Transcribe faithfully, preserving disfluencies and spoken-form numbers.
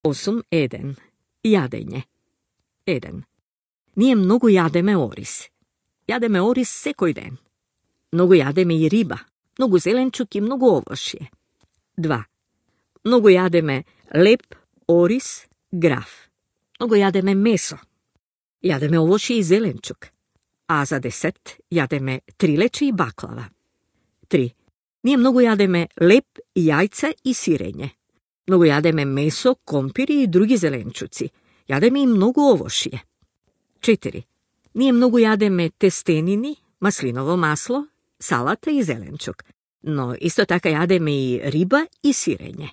осум еден. Јадење. еден. Ние многу јадеме орис. Јадеме орис секој ден. Многу јадеме и риба, многу зеленчук и многу овошје. два. Многу јадеме леп, орис, граф. Многу јадеме месо. Јадеме овошје и зеленчук. А за десет јадеме трилече и баклава. три. Ние многу јадеме леп, јајца и сирење. Многу јадеме месо, компири и други зеленчуци. Јадеме и многу овошје. четири. Ние многу јадеме тестенини, маслиново масло, салата и зеленчук. Но исто така јадеме и риба и сирење.